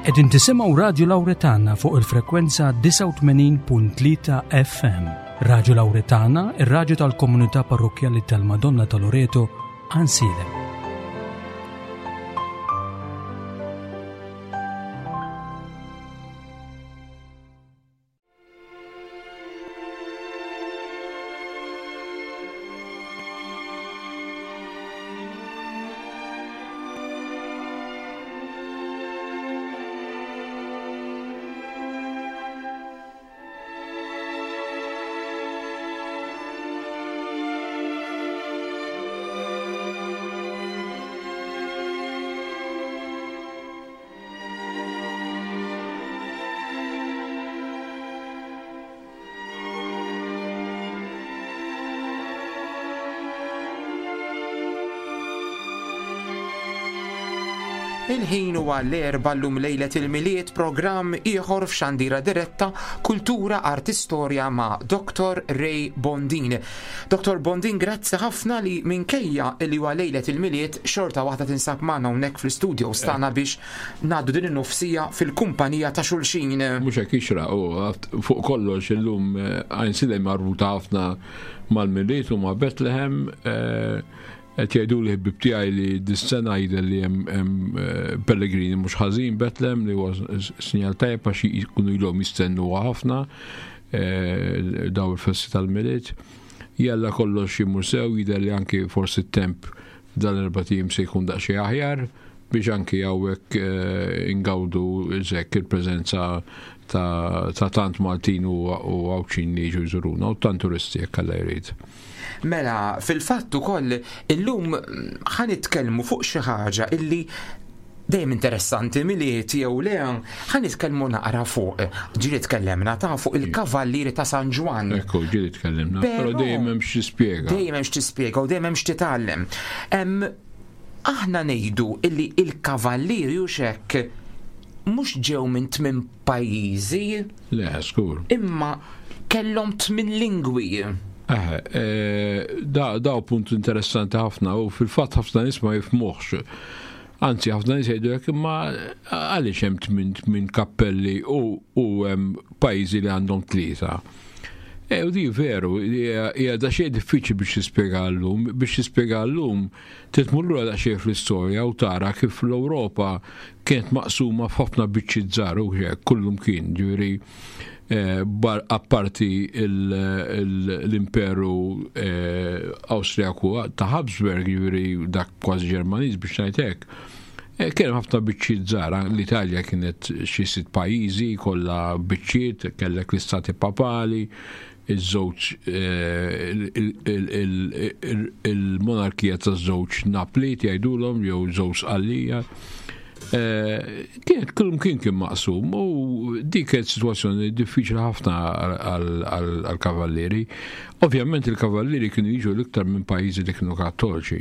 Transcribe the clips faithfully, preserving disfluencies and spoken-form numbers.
Qegħdin tisimgħu Radju Lawretana fuq il-frekwenza disgħa u tmenin punt tlieta F M. Radju Lawretana, ir-radju tal-komunità parrokkjali tal-Madonna ta' Loreto, Għajnsielem. Il-ħin huwa l-erba' llum lejlet il-Milied, programm ieħor f'Xandira Diretta, Kultura, Arti, Storja ma' Doktor Ray Bondin. Doktor Bondin, grazzi ħafna li minkejja li huwa lejlet il-Milied xorta waħda tinsab magħna hawnhekk fl-istudio stana biex ngħaddu din in-nofsija fil-kumpanija ta' xulxin. Mhux hekk ixra, u fuq kollox illum, eh, Għajnsielem marbuta ħafna mal-Milied u ma' Bethlehem, eh, qed jgħidu li ħbib tiegħi li dis-sena jidher li hemm, hemm, eh, pellegrini mhux ħażin Bethlehem, li huwa s-, sinjal tajjeb għax jkunu ilhom jistennuha ħafna, eh, daw il-festi tal-Milied. Jalla kollox imur sew, jidher li anki forsi t-temp dan l-erba' ijiem se jkun daqsxejn aħjar biex anki hawnhekk, eh, ingawdu żekk il-preżenza ta', ta' tant Maltin u, u Għawdxin li jiġu jżuruna u tant turisti jekk Alla jrid. Mela, fil-fatt ukoll illum ħa nitkellmu fuq xi ħaġa illi dejjem interessanti Milied jew le, ħa nitkellmu naqra fuq, ġieli tkellimna ta' fuq il-Kavallieri ta' San Ġwann. Ekku, ġieli tkellimna, però Però dejjem hemm xi tispjega. Dejjem hemm xi tispjega u dejjem hemm xi titgħallem. Em, aħna ngħidu illi il-Kavallieri u xek mhux ġew minn tmien pajjiżi. Le, skur. Imma kellhom tmien lingwi. Eh, eh, da, da punt interessanti ħafna u fil-fatt ħafna nies ma jifhmuhx. Anzi, ħafna nies jgħidu hekk, imma għaliex hemm tmien, tmien kappelli u, u hemm pajjiżi li għandhom tlieta. E, u di veru, hija, hija da xejn diffiċli biex tispjega llum, biex tispjega llum titmur lura daqsxejn fl-istorja u tara kif l-Ewropa kienet maqsuma f'ħafna biċċiet żgħar u hekk kullum kien, ġifieri, eh, bar-, apparti il-, il-, l-imperu, eh, Awstrijaku ta' Habsburg, ġifieri dak kważi Ġermaniż biex ngħid hekk. Eh, kien hemm ħafna biċċiet żgħar, l-Italja kienet xi sitt pajjiżi kollha biċċiet, kellek l-istati papali, iż-żewġ, eh, il-, il-, il-, il-, il-monarkija taż-żewġ Napli jgħidulhom jew żewġ Sqallija. Eh, kienet kullum kien kien maqsum u dik kienet sitwazzjoni diffiċli ħafna għal, għal, għal-kavallieri. Ovvjament il-kavallieri kienu jiġu l-iktar minn pajjiżi li kienu kattoliċi.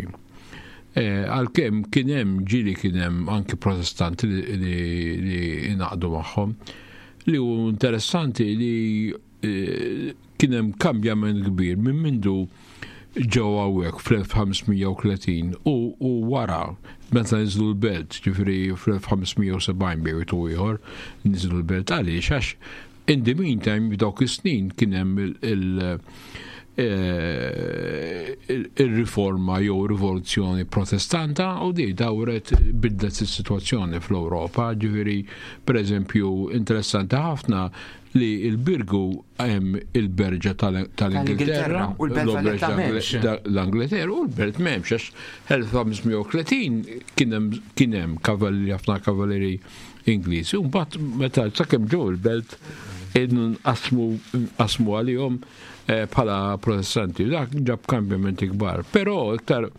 Eh, għalkemm kien hemm ġieli kien hemm anki protestanti li, li, li ingħaqdu magħhom. Li hu interessanti li, eh, kien hemm kambjament kbir minn mindu ġew hawnhekk fl-elf ħamsmija u tletin u, u wara meta niżlu l-belt, ġifieri fl-elf ħamsmija u sebgħin bejn wieħed u ieħor niżlu l-belt. Għaliex? Għax in the meantime f'dawk is-snin kien hemm il-, il-, eh, il-, il-riforma jew rivoluzzjoni protestanta u di dawret bidlet is-sitwazzjoni fl-Ewropa. Ġifieri pereżempju interessanti ħafna li il-Birgu hemm il-berġa tal-, tal-Ingilterra Tal-Ingilterra u l-belt l-berġa Valletta m'hemmx. ta-, l-Angleterra u l-belt m'hemmx, għax elf ħamsmija u tletin kien hemm, kien hemm kavallieri, ħafna kavallieri Ingliżi. U mbagħad meta sakemm ġew il-belt nqasmu, nqasmu għalihom, eh, bħala protestanti. Dak ġab kambjamenti kbar. Però iktar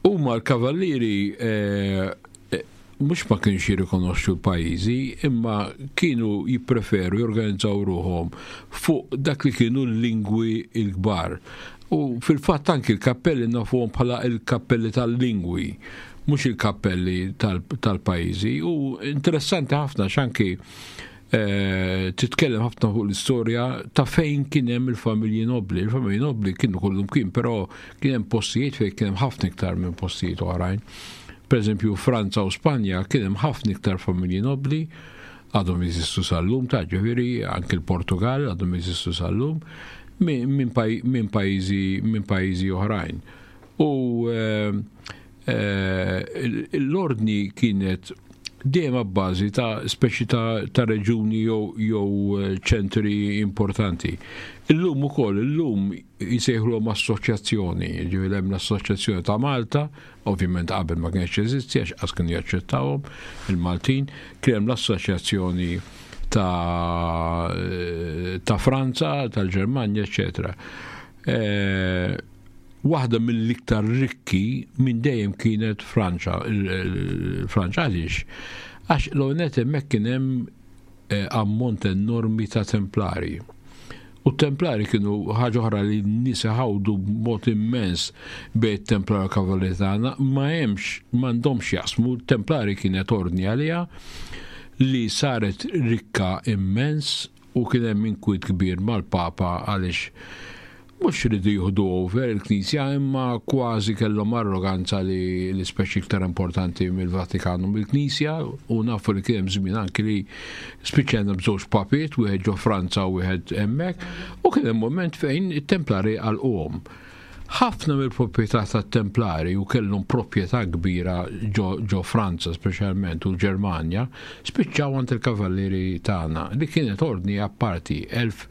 huma l-kavallieri, eh, eh, mhux ma kienx jirrikonoxxu l-pajjiżi, imma kienu jippreferu jorganizzaw ruħhom fuq dak li kienu l-lingwi l-kbar. U fil-fatt anki l-kappelli nafuhom bħala l-kappelli tal-lingwi, mhux il-kappelli tal-, tal-pajjiżi. U interessanti ħafna x'anki, eh, titkellem ħafna fuq l-istorja ta' fejn kien hemm il-familji nobli. Il-familji nobli kienu kollhom kien, però kien hemm postijiet fejn kien hemm ħafna iktar minn postijiet oħrajn. Per eżempju, Franza u Spanja kien hemm ħafna iktar familji nobli, għadhom jeżistu sal-lum, ta' ġifieri anke l-Portugal għadhom jeżistu sal-lum, minn pajjiżi minn pajjiżi oħrajn. U eh, eh, l-ordni kienet dejjem abbażi ta' speċi ta', ta reġuni jew jew eh, ċentri importanti. Illum ukoll, illum jsejħulhom assoċjazzjoni, ġifieri hemm l-Assoċjazzjoni ta' Malta, ovvjament qabel ma kienx jeżisti għax qas kienu jaċċettawhom il-Maltin, kien hemm l-Assoċjazzjoni ta', ta' Franza, tal-Ġermanja, eċetera. Eh, waħda mill-iktar rikki minn dejjem kienet Franċa, il-Franċa għaliex? Għax l-għonet hemmhekk kien hemm eh, ammont enormi ta' templari. U templari kienu ħaġa oħra li n-nies ħawdu b'mod immens bejn templari u kavallieri tagħna, ma hemmx, m'għandhomx jaqsmu, templari kienet ordni għaliha li saret rikka immens u kien hemm inkwiet kbir mal-Papa għaliex mhux ridu jieħdu over il-Knisja, imma kważi kellhom arroganza li l-ispeċi iktar importanti mill-Vatikan u mill-Knisja, u nafu li kien hemm żmien anki li spiċċajna b'żewġ papiet, wieħed ġo Franza u wieħed hemmhekk, u kien hemm moment fejn it-Templari għalquhom. Ħafna mill-proprjetà tat-Templari, u kellhom proprjetà kbira ġo, ġo Franza speċjalment u l-Ġermanja, spiċċaw għand il-kavallieri tagħna, li kienet ordni apparti, elf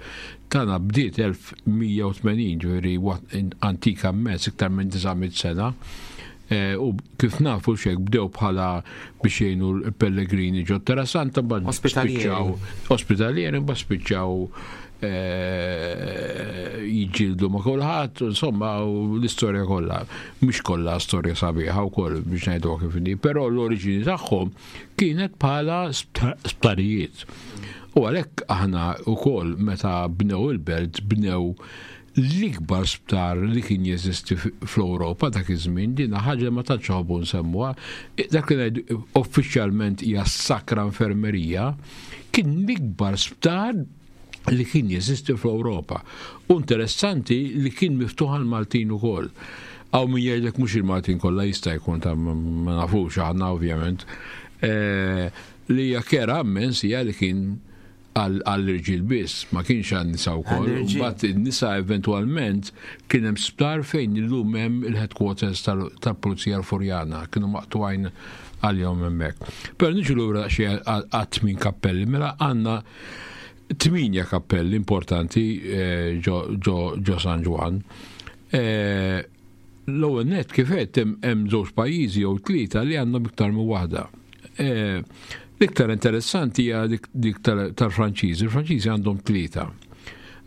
tagħna bdiet elf mija u tmenin, ġifieri antika immens, iktar minn disa' mitt sena. Eh, u kif nafu xek bdew bħala biex jgħinu l-pellegrini ġo Terra Santa, mbagħad Ospitalieri. spiċċaw ospitalieri, mbagħad spiċċaw eh, jiġġieldu ma' kulħadd, insomma, u l-istorja kollha, mhux kollha storja sabiħa wkoll biex ngħidu kif inhi, però l-oriġini tagħhom kienet bħala sptarijiet. U għalhekk aħna wkoll meta bnew il-belt bnew l-ikbar sptar li kien jeżisti fl-Ewropa dak iż-żmien, din ħaġa ma tantx ħobbu nsemmuha. Dak li ngħidu uffiċjalment hija Sacra Infermerija, kien l-ikbar sptar li kien jeżisti fl-Ewropa. U interessanti li kien miftuħ għal Maltin ukoll. Hawn min jgħidlek mhux il-Maltin kollha, jista' jkun ta', ma nafux aħna ovvjament. Eh, li hija kera immens hija li kien għall-irġiel biss, ma kienx għan-nisa wkoll. Għall-irġiel. Mbagħad in-nisa eventwalment kien hemm sptar fejn illum hemm il-headquarters tal-Pulizija l-Furjana, kienu maqtugħin għalihom hemmhekk. Però niġu lura xi għat-tmin kappelli, mela għandna tminja kappelli importanti eh, ġo San Ġwann. Eh, l-ewwel net, kif qed, hemm żewġ pajjiżi jew tlieta li għandhom iktar minn waħda. Eh, l-iktar interessanti hija dik tal-Franċiżi. Il-Franċiżi għandhom tlieta.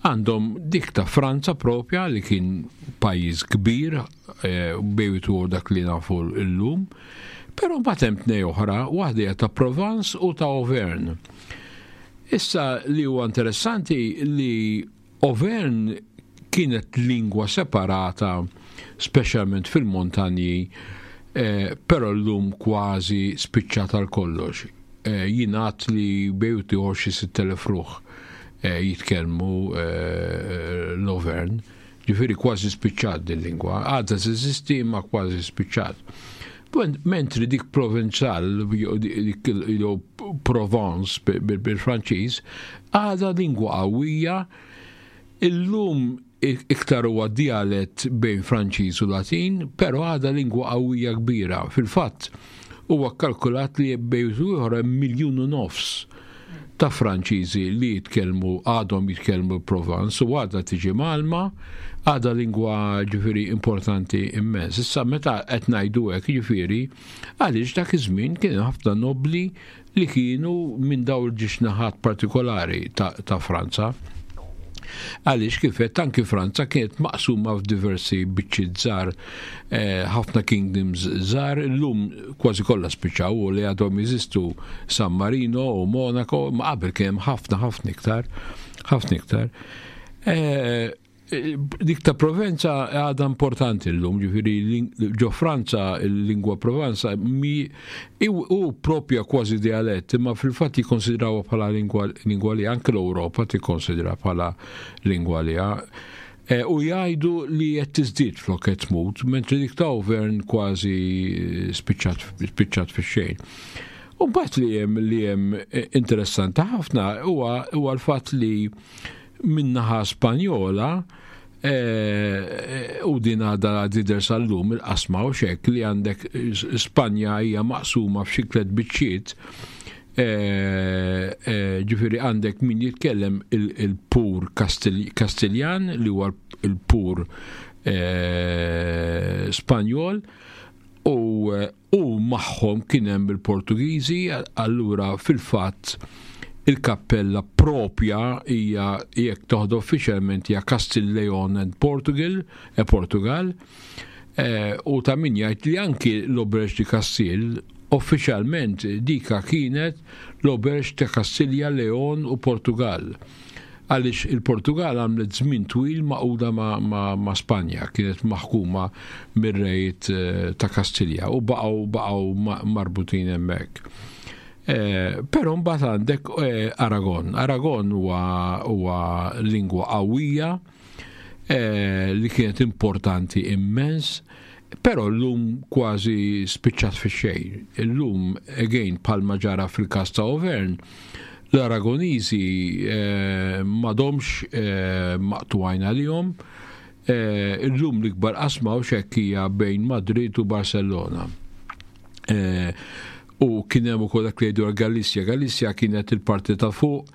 Għandhom dik ta' Franza propja, li kien pajjiż kbir bejtu dak li nafu llum, però mbagħad hemm tnej oħra, waħda hija ta' Provence u ta' Auvergne. Issa li huwa interessanti li Auvergne kienet lingwa separata, speċjalment fil-montanji, eh, però llum kważi spiċċata għal kollox. Eh, jingħad li bejtu xi sitt elef ruħ eh, jitkellmu eh, l-Auvergne, ġifieri kważi spiċċat din lingwa, għadha teżisti ma kważi spiċċat. Mentri dik Provençal, jew Provence bil-Franċiż, għadha lingwa qawwija, illum iktar huwa dialett bejn Franċiż u Latin, però għadha lingwa qawwija kbira. Fil-fatt, huwa kalkulat li bejn ieħor miljun u nofs ta' Franċiżi li jitkellmu, għadhom jitkellmu Provence u għadha tiġi mgħallma, għadha lingwa ġifieri importanti immens. Issa meta qed ngħidu hekk, ġifieri għaliex dak iż-żmien kien ħafna nobli li kienu minn dawn il-żewġ naħat partikolari ta', ta Franza. Għaliex kif anki Franza kienet maqsuma f'diversi biċċiet żgħar, eh, ħafna kingdoms żgħar, illum kważi kollha spiċċaw u li għadhom jeżistu San Marino u Monaco, ma qabel kien hemm ħafna ħafna iktar, ħafna iktar. Eh, dik ta' Provenza għadha importanti l-lum, ġifieri ġo Franza il-lingwa Provenza mi u propja kważi dialett, imma fil-fatt jikkonsidrawha bħala lingwa, lingwa li anke l-Ewropa tikkonsidra bħala lingwa li. U jgħidu li qed tiżdied flok qed tmut, mentri dik ta' Auvergne kważi spiċċat fix-xejn. U mbagħad li hemm li hemm interessanti ħafna huwa huwa l-fatt li min-naħa Spanjola u din għadha tidher sal-lum il-qasma u xek li għandek Spanja hija maqsuma f'xi tliet biċċiet, ġifieri għandek min jitkellem il-pur Kastiljan li huwa il-pur Spanjol u u magħhom kien hemm il-Portugiżi, allura fil-fatt il-kappella propja hija jekk toħdu uffiċjalment hija Castile Leon and Portugal, e Portugal, u ta' min jgħid li anki l-Auberge de Castile uffiċjalment dika kienet l-Auberge ta' Kastilja, Leon u Portugal. Għaliex il-Portugal għamlet żmien twil magħquda ma, ma, ma Spanja, kienet maħkuma mir-rejiet ta' Kastilja u baqgħu baqgħu marbutin hemmhekk. Eh, Però mbagħad għandek eh, Aragon. Aragon huwa huwa lingwa qawwija eh, li kienet importanti immens, però llum kważi spiċċat fix-xejn. Illum, again, bħalma ġara fil-każ ta' Auvergne, l-Aragoniżi eh, m'għadhomx eh, maqtugħin għalihom. Eh, illum l-ikbar qasma u xekk hija bejn Madrid u Barcellona. Eh, u kien hemm ukoll dak li jgħidu Galizja. Galizja kienet il-parti ta' fuq,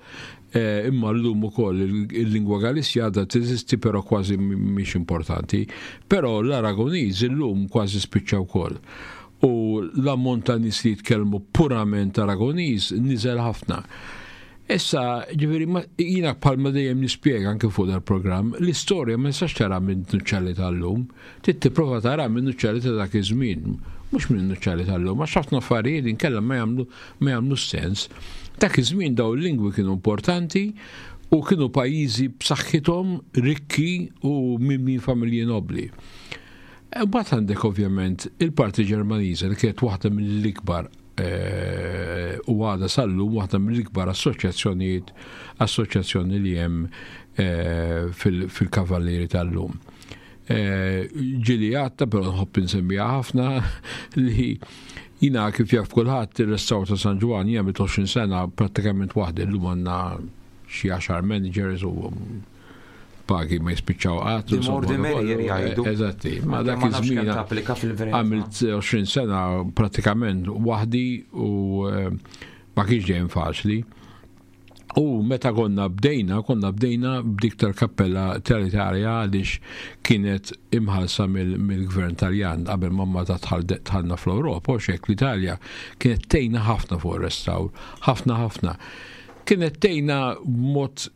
eh, imma llum ukoll il-lingwa Galizja għadha teżisti però kważi mhix importanti. Però l-Aragoniż illum kważi spiċċa wkoll. U l-ammont ta' nies li jitkellmu purament Aragoniż niżel ħafna. Issa, ġifieri, jiena bħalma dejjem nispjega anke fuq dal-programm, l-istorja ma nistax tara minn nuċċali tal-lum, trid tipprova tara minn nuċċali ta' dak iż-żmien, mhux minn nuċċali tal-lum, għax ħafna affarijiet inkella ma jagħmlu ma jagħmlu sens. Dak iż-żmien daw il-lingwi kienu importanti u kienu pajjiżi b'saħħithom rikki u mimlin familji nobli. Mbagħad għandek ovvjament il-parti Ġermaniża li kienet waħda mill-ikbar u għadha sal-lum waħda mill-ikbar assoċjazzjonijiet assoċjazzjoni li hemm fil-kavallieri tal-lum. Ġieli għadta, però nħobb insemmiha ħafna li jina kif jaf kulħadd ir-restawr ta' San Ġwann jien għamilt għoxrin sena prattikament waħdi, llum għandna xi għaxar managers u pagi ma jispiċċaw qatt. The more the merrier jgħidu. Eżatti, ma dak Ma nafx kemm iż-żmien tapplika fil-verità. għamilt għoxrin sena pratikament waħdi u ma kienx dejjem faċli. U meta konna bdejna, konna bdejna b'dik tal-kappella tal-Italja għaliex kienet imħallsa mill-gvern Taljan qabel ma ma dħalna fl-Ewropa, u xek l-Italja kienet tgħinna ħafna fuq ir-restawr, ħafna ħafna. Kienet tgħinna b'mod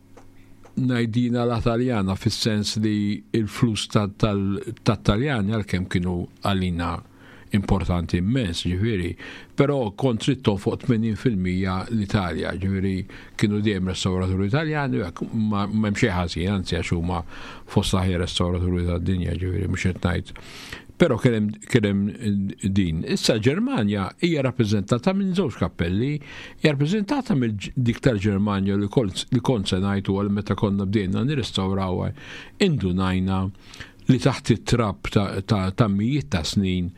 ngħidina la Taljana fis-sens li il-flus tat-Taljani għalkemm kienu għalina importanti immens, ġifieri, però kont trid fuq tmenin fil-mija l-Italja, ġifieri kienu dejjem restawraturi Italjani, u hekk ma m'hemm xejn ħażin, anzi għax huma fost l-aħjar restawraturi tad-dinja, ġifieri mhux qed ngħid. Però kien hemm, kien hemm din. Issa Ġermanja hija rappreżentata minn żewġ kappelli, hija rappreżentata mill dik tal-Ġermanja li kont, li kont se ngħid għal meta konna bdejna nirrestawrawha, indunajna li taħt it-trab ta', ta', ta' mijiet ta' snin,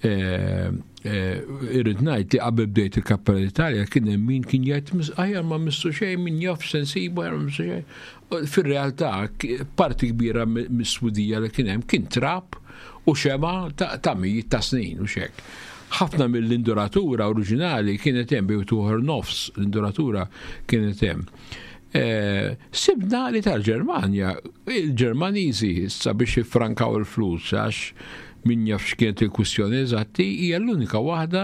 eh, eh, irrid ngħid li qabel bdejt il-Kappella Italja kien hemm min kien jgħid aħjar ma missu xejn, min jaf sensibu, aħjar ma missu xejn. Fir-realtà parti kbira mis-swidija li kien hemm kien trab u xema ta', ta' mijiet ta' snin u xek. Ħafna mill-induratura oriġinali kienet hemm bejn tuħor nofs l-induratura kienet hemm. Eh, sibna li tal-Ġermanja, il-Ġermaniżi sabiex jiffrankaw il-flus għax min jaf x'kienet il-kwistjoni eżatti, hija l-unika waħda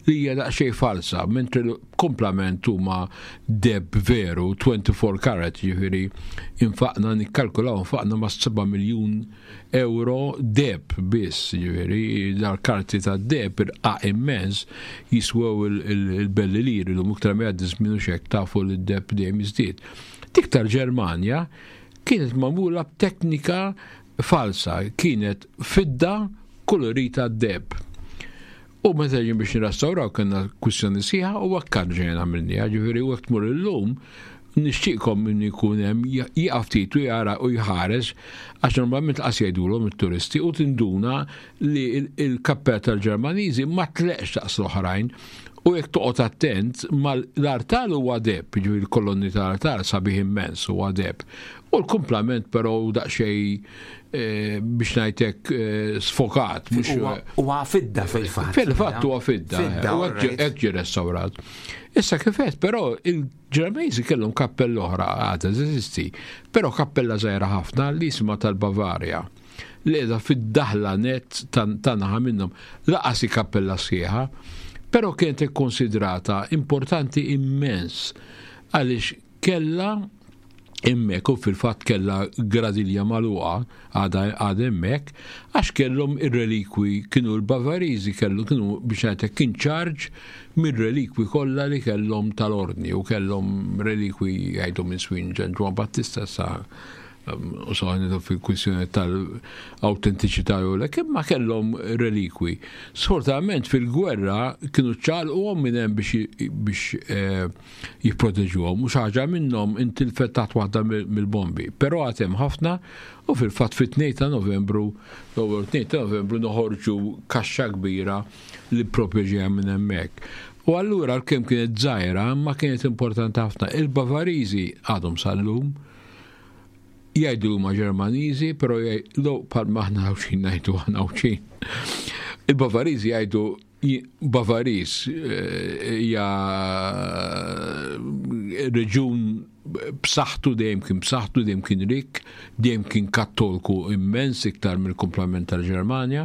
li hija daqsxejn falsa, mentri komplement huma deheb veru, twenty-four karat, ġifieri infaqna nikkalkulaw infaqna ma' seba' miljun euro deheb biss, ġifieri dal-karti ta' deheb irqaq immens jiswew il-belli liri, l-lum iktar ma jgħaddi żmien u xek tafu li d-deheb dejjem jiżdied. Dik tal-Ġermanja kienet magħmula b'teknika falsa, kienet fidda kolorita deheb. U meta ġin biex nirrestawraw kellna kwistjoni sħiħa u hekk ġejna għamilniha, ġifieri u hekk tmur illum Nixtieqkom min ikun hemm jieqaf ftit u jara u jħares, għax normalment qas jgħidulhom it-turisti, u tinduna li il-kappella tal-Ġermaniżi ma tleqx daqs l-oħrajn. U jekk toqgħod attent, l-artal huwa deheb, jiġifieri l-kolonni tal-artal sabiħ immens huwa deheb. U l-kumplament però daqsxejn, eh, biex ngħidlek, eh, sfokat. Huwa fidda fil-fatt. Fil-fatt huwa fidda. U hekk ġie restawrat. Issa kifet, però il-Ġermaniżi kellhom kappella oħra, għadha teżisti, però kappella żgħira ħafna li jisimha tal-Bavarja, li qiegħda fid-daħla net ta' naħa minnhom, lanqas kappella sħiħa, però kienet ikkonsidrata importanti immens għaliex kella hemmhekk, u fil-fatt kella gradilja magħluqa, għadha hemmhekk, għax kellhom ir-relikwi, kienu l-Bavariżi kellu kienu, biex ngħidlek, kien ċarġ mir-relikwi kollha li kellhom tal-ordni, u kellhom relikwi jgħidu minn żmien Ġwan Battista sa u so fil-kwistjoni tal-autentiċità u l imma kellhom relikwi. Sfortunatament fil-gwerra kienu ċaqalquhom minn hemm biex biex eh, jipproteġuhom u xi ħaġa minnhom intilfet taħt waħda mill-bombi. Però għad hemm ħafna u fil-fatt fit-tnejn ta' Novembru, l-ewwel tnejn ta' Novembru, noħorġu kaxxa kbira li proprju minn hemmhekk. U allura l-kemm kienet żgħira ma kienet importanti ħafna. Il-Bavariżi għadhom sal-lum jgħidu huma Ġermaniżi, però jgħidu bħal aħna Għawdxin ngħidu aħna Għawdxin. Il-Bavariżi jgħidu Bavariż eh, hija reġun b'saħħtu, dejjem kien b'saħħtu, dejjem kien rik, dejjem kien kattolku immens, iktar mill-kumplament tal-Ġermanja.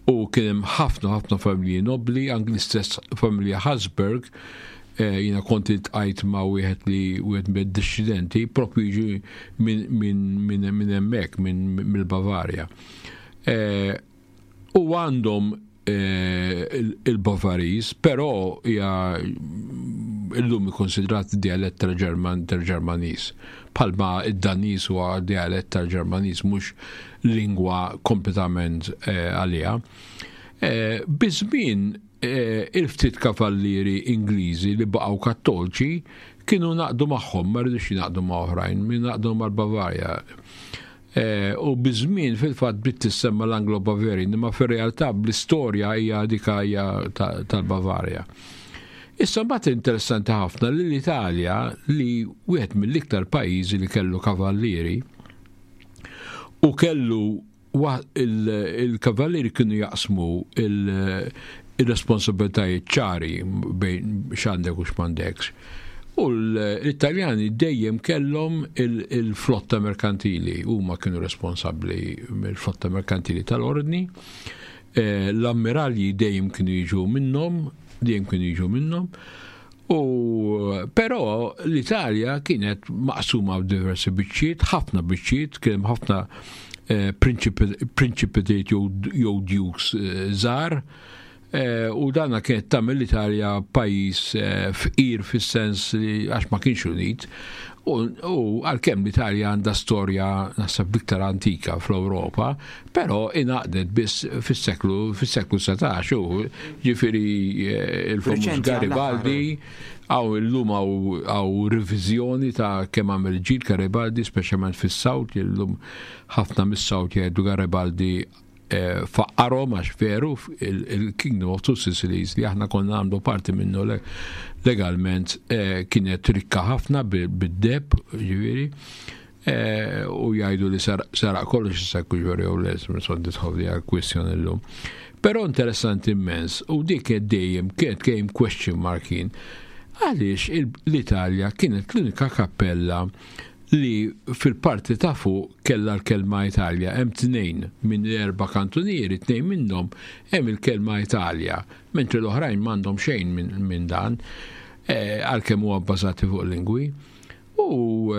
U kien hemm ħafna ħafna familji nobli, anki l-istess familja Habsburg, eh, jiena kont iltqajt ma' wieħed li wieħed mid-discendenti propju jiġi minn min, hemmhekk, minn mill-Bavarja. Eh, u għandhom eh, il-Bavariż, però hija illum ikkonsidrat dialett tal-Ġerman tal-Ġermaniż. Bħalma id-Daniż huwa dialett tal-Ġermaniż, mhux lingwa kompletament għalija. Biż-żmien il-ftit kavallieri Ingliżi li baqgħu kattolċi kienu ngħaqdu magħhom, ma ridux jingħaqdu ma' oħrajn, min ngħaqdu mal-Bavarja. U biż-żmien fil-fatt bdiet tissemma l-Anglo-Bavarian, imma fir-realtà bl-istorja hija dika hija tal-Bavarja. Issa mbagħad interessanti ħafna li l-Italja, li wieħed mill-iktar pajjiżi li kellu kavallieri u kellu il-kavallieri kienu jaqsmu il-responsabbiltajiet ċari bejn x'għandek u x'm'għandekx. U l-Italjani dejjem kellhom il-flotta merkantili, huma kienu responsabbli mill-flotta merkantili tal-ordni. L-ammiralji dejjem kienu jiġu minnhom, dejjem kienu jiġu minnhom. U però l-Italja kienet maqsuma f'diversi biċċiet, ħafna biċċiet, kien ħafna principatiet jew dukes żgħar, u dana kienet tagħmel l-Italja pajjiż fqir fis-sens li għax ma kienx unit. U għalkemm l-Italja għandha storja naħseb iktar antika fl-Ewropa, però ingħaqdet biss fis-seklu fis-seklu satax, u ġifieri il-famuż Garibaldi, għaw illum għaw revizjoni ta' kemm għamel ġid Garibaldi, speċjalment fis-South, illum ħafna mis-South jgħidu Garibaldi faqqarhom, għax veru il-Kingdom of Two Sicilies, li aħna konna għamlu parti minnu legalment, kienet rikka ħafna bid-deheb, ġifieri, u jgħidu li saraq kollox, issa ġifieri u les, minn nidħol għal kwistjoni llum. Però interessanti immens, u dik kienet dejjem, kienet dejjem question mark kien, għaliex l-Italja kienet l-unika kappella li fil-parti ta' fuq kella l-kelma Italja. Hemm tnejn minn erba' kantunieri, tnejn minnhom hemm il-kelma Italja, mentri l-oħrajn m'għandhom xejn minn dan, għalkemm huwa bbażati fuq lingwi. U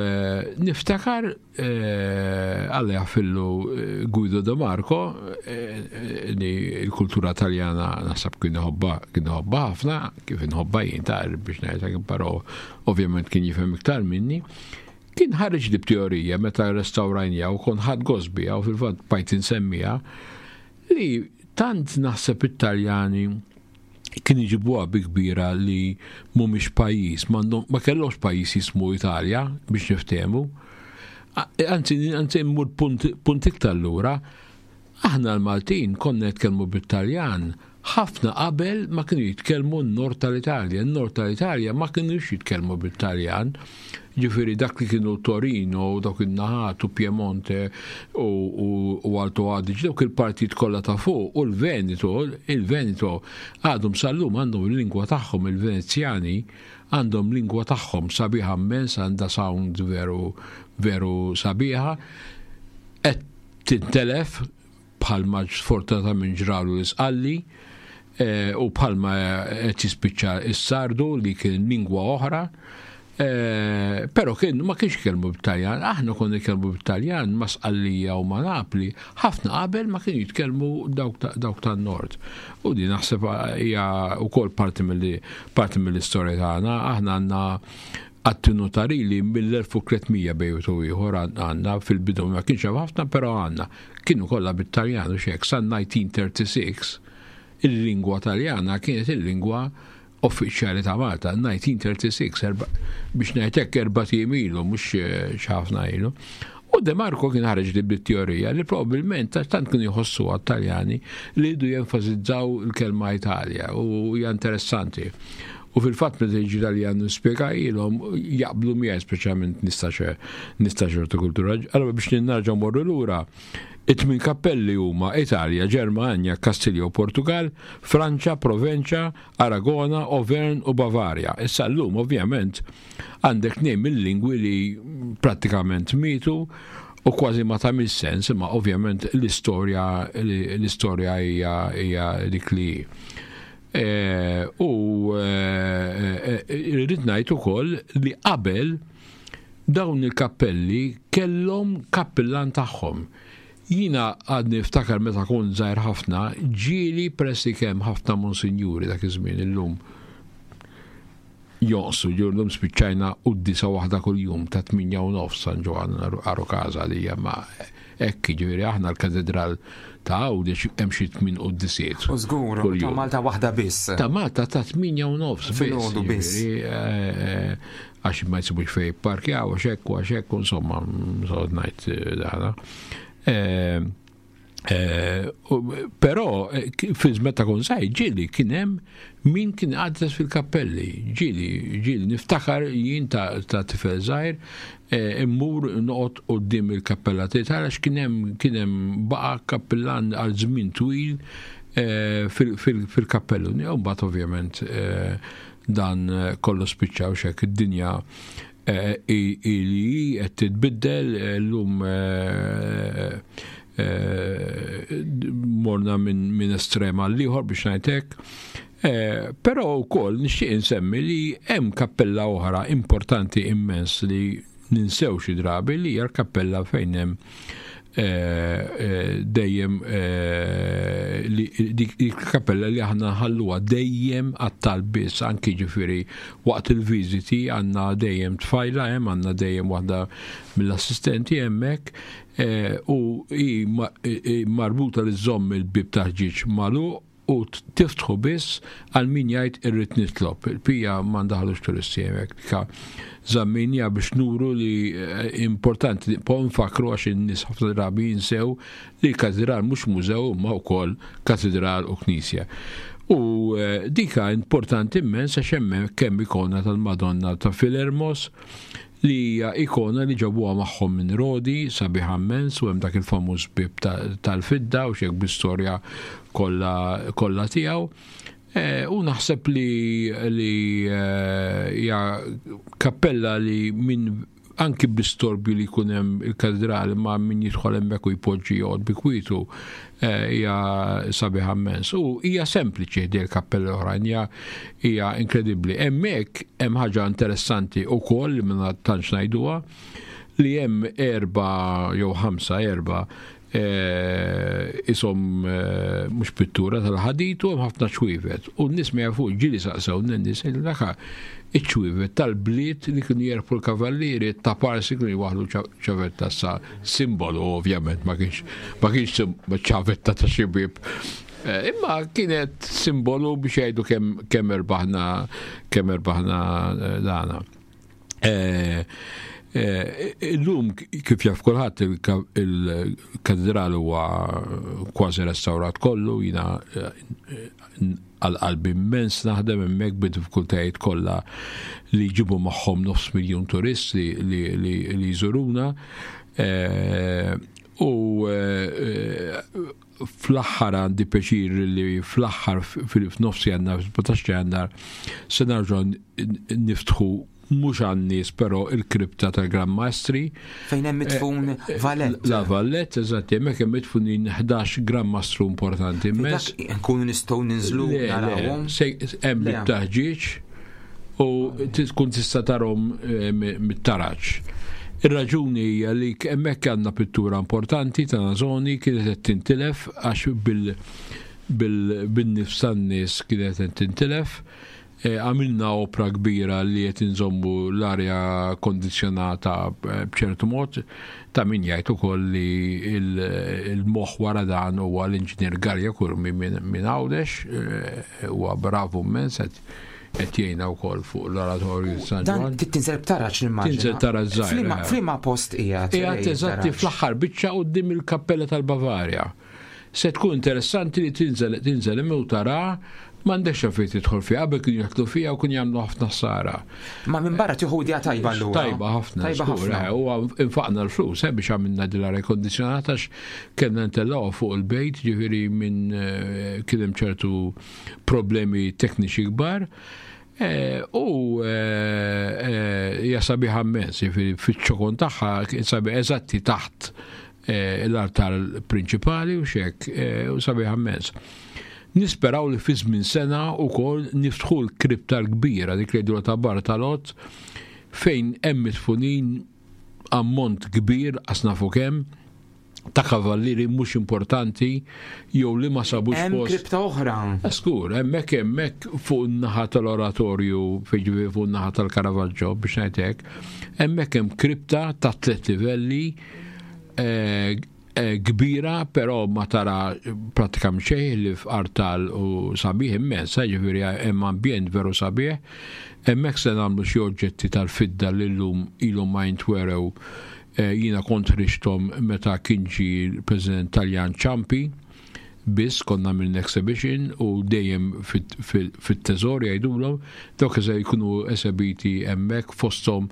niftakar, Alla jaħfirlu, Guido De Marco, li l-kultura taljana naħseb kien iħobbha, kien iħobbha ħafna, kif inħobbha jien ta' biex ngħidlek, però ovvjament kien jifhem iktar minni. Kien ħareġ di b'teorija meta restawrajnija u kon ħadd gost biha, u fil-fatt bajt insemmija, li tant naħseb it-Taljani Kien iġibuha bi kbira li mhumiex pajjiż, ma kellhomx pajjiż jismu Italja biex niftehmu. Anzi, anzi mmur punt, punt iktar lura, aħna l-Maltin konna nitkellmu bit-Taljan ħafna qabel ma kienu jitkellmu n-nord tal-Italja. N-nord tal-Italja ma kienux jitkellmu bit-Taljan. Ġifieri dak li kienu Torino, dawk in-naħat u Piemonte u, u, u Alto Adige, dawk il-partit kollha ta' fuq u l-Veneto, il-Veneto għadhom sal-lum għandhom il-lingwa tagħhom, il-Venezjani għandhom lingwa tagħhom sabiħa immens, għandha sound veru veru sabiħa, qed tintelef bħalma sfortunatament ġralu l-Isqalli eh, u bħalma qed jispiċċa s-Sardu li kien lingwa oħra. Eh, però kien ma kienx jitkellmu bit-Taljan, aħna konna nitkellmu bit-Taljan ma' Sqallija u ma' Napli, ħafna qabel ma kienu jitkellmu dawk ta- dawk tan-nord. U di naħseb hija wkoll parti mill parti mill-istorja tagħna, aħna għandna atti notarili mill-elf u tliet mija bejn u ieħor għandna fil-bidu ma kienx hemm ħafna, però għandna. Kienu kollha bit-Taljan u xek, sa nineteen thirty-six il-lingwa Taljana kienet il-lingwa uffiċjali ta' Malta, nineteen thirty-six, erba-, biex ngħidlek erba' ijiem ilu, mhux, eh, ħafna ilu. U De Marco kien ħareġ li bit-teorija li probabbilment tant kienu jħossu għat-Taljani li jridu jenfasizzaw il-kelma Italja, u hija interessanti. U fil-fatt meta jiġi Taljan nispjegajilhom jaqblu miegħi, speċjalment nista' nista' ċertu kultura. Allora biex nerġgħu morru lura, it-tmien kappelli huma Italja, Ġermanja, Kastilja u Portugal, Franċa, Provenċa, Aragona, Auvergne u Bavaria. Issa llum ovvjament għandek tnejn mill-lingwi li prattikament mitu u kważi ma tagħmel sens, imma ovvjament l-istorja, l-istorja hija, hija dik li hi. Eh, u, eh, eh, irrid ngħid ukoll li qabel dawn il-kappelli kellhom kappillan tagħhom. Jiena għadni niftakar meta kont żgħir ħafna, ġieli pressi kemm ħafna monsinjuri dak iż-żmien illum jonqsu, ġurnum spiċċajna quddisa waħda kuljum ta' tminja u nofs San Ġwann Aru Casa li hija ma' hekk, jiġifieri aħna l-katedral ta' Għawdex hemm xi tmien quddisiet. U żgur, kuljum. ta' Malta waħda biss. Ta' Malta ta' tminja u nofs biss, Filgħodu biss. jiġifieri, eh, eh, għax ma jsibux fejn jipparkjaw, għax hekk u għax hekk, insomma, sod ngħid, eh, dana. Eh, eh, u, però, eh, ki-, fi żmien ta' kont żgħir, ġieli kien hemm min kien għaddes fil-kappelli, ġieli, ġieli niftakar jien ta', ta' tifel żgħir, eh, immur noqgħod quddiem il-kappella tiegħi għax kien hemm, kien hemm baqa' kappillan għal żmien twil, eh, fil-, fil-, fil-kappellu. U mbagħad ovvjament, eh, dan kollu spiċċa u xek id-dinja, eh, i-, li qed titbiddel, eh, llum, eh, eh, morna minn, minn estrem għal ieħor biex ngħidlek. Eh, però wkoll nixtieq insemmi li hemm kappella oħra importanti immens li ninsew xi drabi, li hija l-kappella fejn hemm, eh, eh, dejjem, eh, li, dik il-kappella li aħna nħalluha dejjem għat-talb biss, anki ġifieri waqt il-viżiti għandna dejjem tfajla hemm, għandna dejjem waħda mill-assistenti hemmhekk, eh, u hi ma-, hi marbuta li żomm il-bib ta' ħġieġ magħluq u tiftħu biss għal min jgħid irrid nitlob. Il-pija ma ndaħlux turisti hemmhekk. Dika żamminja biex nuru li, eh, importanti, po nfakru għax in-nies ħafna drabi jinsew li l-katedral mhux mużew imma wkoll katedral u knisja. U, eh, dika importanti immens għax hemmhekk kemm ikona tal-Madonna ta' Filermos, li hija ikona li ġabuha magħhom minn Rodi, sabiħa immens, u hemm dak il-famuż bib ta-, tal-fidda u xek bl-istorja kollha, kollha tiegħu. Eh, u naħseb li, li, eh, hija kappella li minn anki bl-istorbju li jkun hemm il-katedrali ma' min jidħol hemmhekk u jpoġġi joqgħod bi kwitu, eh, hija sabiħa immens. U hija sempliċi ħdej il-kappella oħrajn, hija, hija inkredibbli. Hemmhekk hemm ħaġa interessanti wkoll li ma tantx ngħiduha, li hemm erba' jew ħamsa, erba', eh, isom, eh, mhux pittura tal-ħadid u hemm ħafna ċwievet. U n-nies ma jafux, ġieli saqsew n-nies, daka iċ-ċwievet tal-bliet li kienu jerfu l-kavallieri ta' parsi kienu jwaħlu ċa-, ċavetta sa simbolu, ovvjament, ma kienx, ma kienx sim-, ċavetta ta' xi bieb Eh, imma kienet simbolu biex jgħidu kemm kemm erbaħna kemm erbaħna eh, dana. Eh, illum kif jaf kulħadd, il-katedral huwa kważi restawrat kollu. Jiena għal qalbi immens naħdem hemmhekk bid-diffikultajiet kollha li jġibu magħhom nofs miljun turist li, li, li, li jżuruna. U fl-aħħar għandi pjaċir li fl-aħħar, f'nofs Jannar, sbatax Jannar, se nerġgħu niftħu mhux għan-nies però il-kripta tal-Gran Maestri. Fejn hemm midfun eh, Vallette. La Vallette, eżatt, hemmhekk hemm midfunin ħdax Gran Mastru importanti immens. Nkunu nistgħu ninżlu narawhom. Hemm bit-taħġiġ u tkun tista' tarahom eh, mit-taraġ. Ir-raġuni hija li hemmhekk għandna pittura importanti ta' Nasoni, kienet qed tintilef għax bil-nifs tan-nies kienet qed tintilef. E, għamilna opra kbira li qed inżommu l-arja kondizjonata eh, b'ċertu mod. Ta' min jgħid ukoll li il-moħħ wara dan huwa l-inġinier Garja Kurmi minn Għawdex, eh, huwa bravu immens, qed jgħinna wkoll fuq l-oratorju San Ġwann. Dan tinżel b'taraġ, nimmaġina. Tinżel taraġ żgħir. F'liema post qiegħed? Qiegħed eżatti fl-aħħar biċċa quddiem il-kappella tal-Bavarja. Se tkun interessanti li tinżel tinżel u tara. M'għandekx fejn tidħol fiha, qabel kienu jidħlu fiha u kienu jagħmlu ħafna ħsara. Ma minn barra tieħu idea tajba allura. Tajba ħafna. Tajba ħafna. U infaqna l-flus eh, biex għamilna din l-arja kondizjonata għax kellna ntellgħu fuq il-bejt, ġifieri minn eh, kien hemm ċertu problemi tekniċi kbar. Eh, u hija sabiħa immens, ġifieri fiċ-ċokon tagħha sabiħ, eżatti taħt l-artal prinċipali u xek, u sabiħa immens. Nisperaw li fi żmien sena wkoll niftħu l-kripta l-kbira, dik li jgħidu ta' Bartalot, fejn hemm midfunin ammont kbir, qas nafu kemm, ta' kavallieri mhux importanti jew li ma sabux Hemm post. kripta oħra. Skur, hemmhekk hemmhekk fuq in-naħa tal-oratorju, fejn fuq in-naħa tal-Caravaggio biex ngħidlek, hemmhekk hemm kripta ta' tliet livelli eh, eh, kbira, però ma tara pratikament xejn li f'artal u sabiħ immens, eh, ġifieri hemm ambjent veru sabiħ. Hemmhekk se nagħmlu xi oġġetti tal-fidda li llum ilhom ma jintwerew. eh, Jiena kont ħriġthom meta kien ġie l-President Taljan Ciampi, biss konna minn exhibition u dejjem fit-teżor jgħidulhom, dawk se jkunu esebiti hemmhekk, fosthom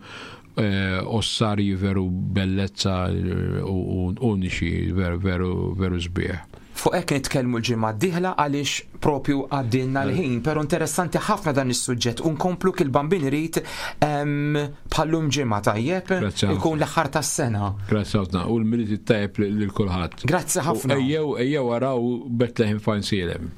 eh, ossarji veru bellezza eh, u u uniċi, veru veru veru sbieħ. Fuq hekk nitkellmu l-ġimgħa d-dieħla għaliex propju għaddilna l-ħin, però interessanti ħafna dan is-suġġett u nkomplu kil Bambin irid bħallum ġimgħa, tajjeb, Grazzi ħafna. ikun l-aħħar tas-sena. Grazzi ħafna u l-Milied it-tajjeb lil kulħadd. Grazzi ħafna. U Ejjew ejjew araw Bethlehem f'Għajnsielem.